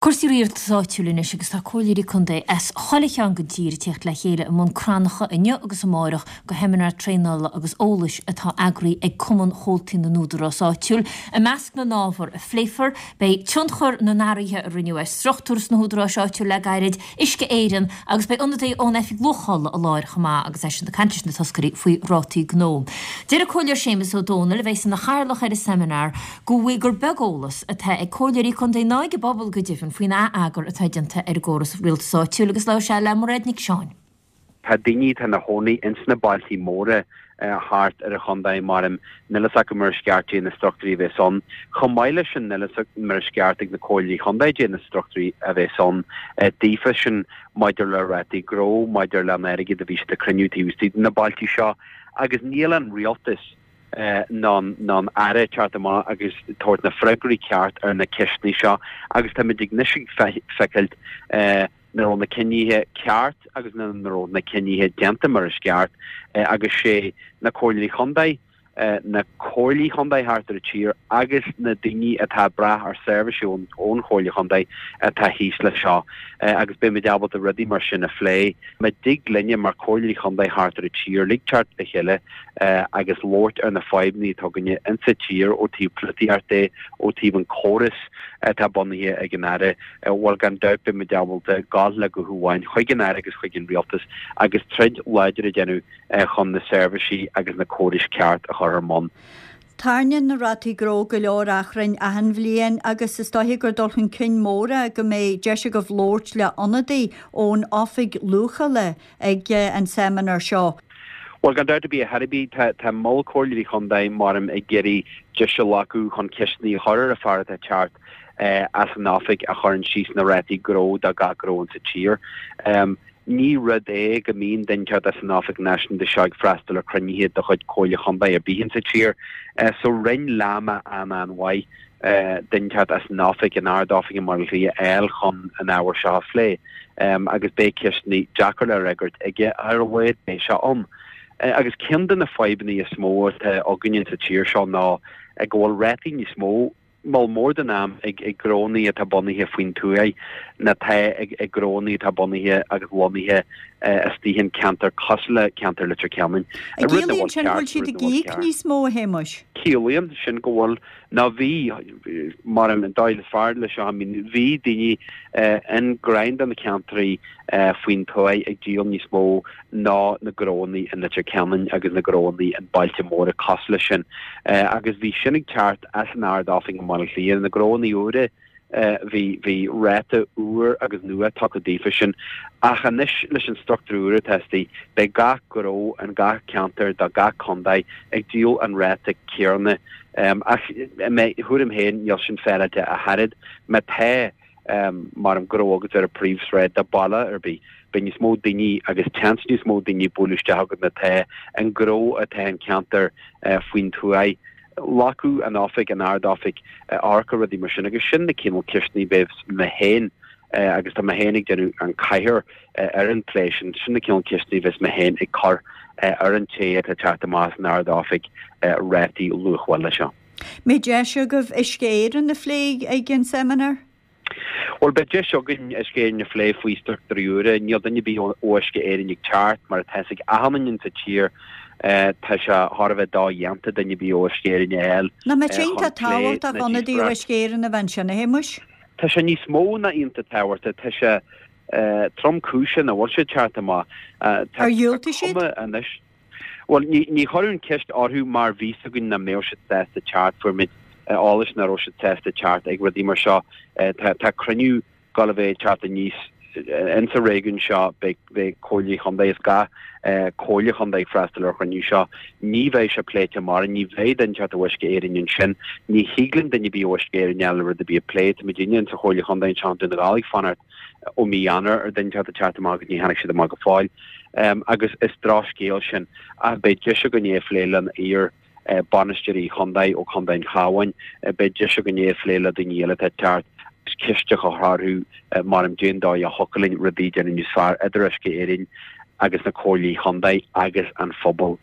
Cúrsaí rialtais áitiúil anois agus tá comhairleoirí contae as chuile cheann den tír ag tíocht le chéile i mBun Cranncha inniu agus amárach go sheimineár traenála agus eolais atá eagraithe ag Cumann Chomhaltaí na nÚdarás Áitiúil. I measc na n-ábhar a phléifear beidh tionchar na n-athruithe a rinneadh ar struchtúir sna húdaráis áitiúil le gairid, Uisce Éireann agus beidh ionadaí ón Oifig Luachála i láthair chomh maith agus eisean ag caint leis na toscairí faoi rátaí gnó. Deir an Comhairleoir Séamus Ó Dónaill, a bheas ina chathaoirleach ar an seimineár, go bhfuil gur beag eolas atá ag comhairleoirí contae ná ag an bpobal go deimhin faoin ath-eagar atá déanta ar an gcóras rialtais áitiúil agus labhair sé le Mairéad Nic Seáin. Tá daoine atá ina chónaí ins na bailtí móra thart ar an chontae, maram, níl fhios acu mar is ceart dé na struchtúirí a bheas ann. Chomh maith leis sin níl fhios mar is ceart ag na comhairleoirí chontae dé na struchtúirí a bheas ann daofa sin maidir le rátaí gnó, maidir le an airgead a bhí siad ag cruinniú taobh istigh de na bailtí seo agus níl an rialtas ná an Aire teacht amach agus tabhairt na freagraí ceart ar na ceisteanna seo agus táimid ag anois ag feiceáilt nach raibh na cinnithe ceart agus nach raibh na cinnithe déanta mar is ceart agus sé na comhairleoirí chontae, na comhairlí chontae thart ar an tír agus na daoine atá ag brath ar seirbhísí ón chomhairle chontae atá thíos leis seo agus beimid ábalta rudaí mar sin a phlé. Má dtig linne mar chomhairleoirí chontae thart ar an tír uilig teacht le chéile agus labhairt ar na fadhbanna atá againne insa tír ó taobh polaitíocht de, ó taobh an córas atá bunaithe ag an Aire, bhuel gan dabht beidh muid ábalta gabháil le guth amháin chuig an Aire agus chuig an Rialtas agus troid láidir a dhéanamh chun na seirbhísí agus na córais ceart a chur ar mbun. Tarraingíonn na rátaí gnó go leor achrainn achan bhliain agus is dóiche gur dul chun cinn mór é go mbeidh deis agaibh labhairt le ionadaí ón Oifig Luachála ag an seimineár seo. Bhuel, gan dabht ar bith, a Shairbhí, tá tá Mol Comhairleoirí Chontae, maram, ag iarraidh deis a ghlacadh chun ceisteanna a chur ar an fear atá ag teacht as an oifig a chuireann síos na rátaí gnó do gach gnó insa tír. Ní rud é go mbíonn duine ag teacht as an oifig náisiúnta seo ag freastal ar chruinnithe de chuid Comhairle Chontae ar bith insa tír. So rinn Láma an-an-mhaith duine ag teacht as an oifig, an Ard-Oifig i mBaile Átha Cliath a fháil chun an ábhar seo a phlé. Agus beidh ceisteanna deacair le fhreagairt aige, ar a laghad beidh sé ann. Agus ceann de na fadhbanna is mó atá againne sa tír seo ná go bhfuil rátaí níos mó, moll mór den am, ag gnónnaí atá bunaithe faoin tuaith ná atá ag gnónnaí atá bunaithe agus lonnaithe istigh in ceantar cosúil le ceantar Leitir Ceanainn. An gciallaíonn sin go bhfuil siad ag íoc níos mó, a Shéamuis? Ciallaíonn sin go bhfuil Ná bhí, mar an dóigh is fearr leis seo, I mean bhí daoine in go leor de na ceantraí faoin tuaith ag díol níos mó ná na gnónnaí in Leitir Ceanainn agus na gnónnaí in bailte móra cosúil leis sin. Agus bhí sin ag teacht as an Ard-Oifig i mBaile Átha Cliath, na gnónnaí úra, Bhí, bhí ráta úr agus nua tugtha daofa sin. Ach anois leis an struchtúr úr atá istigh, beidh gach gnó in gach ceantar de gach contae ag díol an ráta céarna. Ach i mo thuairim féin, níl sin féaráilte ach oiread. Má tá, mar gnó agat ar an príomhshráid de baile ar bith, beidh níos mó daoine agus seans níos mó daoine ag bualadh isteach agat ná atá an gnó atá in ceantar faoin tuaith. Glacadh an oifig, an Ard-Oifig, amharc ar rudaí mar sin agus sin na cineál ceisteanna a bheas mé féin agus tá mé féin ag déanamh an cathaoir ar an plé sin, sin na cineál ceisteanna a bheas mé féin ag cur ar an té atá ag teacht amach as an Ard-Oifig rátaí luachmhála seo. Mbeidh deis agaibh Uisce Éireann a phlé ag an seimineár? Bhuel, beidh deis againn Uisce Éireann a phlé faoi struchtúirí úra. Níl duine ar bith ó Uisce Éireann ag teacht, mar atá fhios ag achan duine sa tír. Tá sé thar a bheith dodhéanta duine ar bith ó Uisce Éireann a fháil Nach mbeadh sé iontach chun plé tábhachtach na ionadaí ó díospóireacht. Uisce Éireann a bheith ansin, a Shéamuis? Tá sé níos mó ná iontach tábhachtach. Tá sé tromchúiseach nach bhfuil sé ag teacht amach. Tá Ar dhiúltaigh siad? cuma anois. Bhuel, ní chuireadh an ceist orthu mar bhí fhios againn nach mbeadh siad sásta teacht. Fuair muid eolas nach raibh siad sásta teacht ag rudaí mar seo. Tá cruinniú ag gabháil a bheith ag teacht aníos insa réigiún seo, beidh comhairleoirí chontae as gach comhairle chontae ag freastal ar chruinniú seo. Ní bheidh sé pléite amárach, ní bheidh duine ag teacht ó Uisce Éireann ansin. Ní thig linn duine ar bith ó Uisce Éireann a fháil le rud ar bith a phlé. Tá muidinne insa chomhairle chontae anseo i nDún na nGall ag fanacht ó mí Eanáir ar duine ag teacht amach agus ní tháinig siad amach go fóill. Agus is drochscéal sin. Ach beidh deis againn é a phlé le iar bainisteoirí chontae ó Chontae an Chabháin, beidh deis againn é a phlé le daoine eile atá ag teacht agus ceist a chur orthu mar cén dóigh a thiocfadh linn rudaí a dhéanamh níos fearr idir Uisce Éireann agus na comhairlí chontae agus an phobal.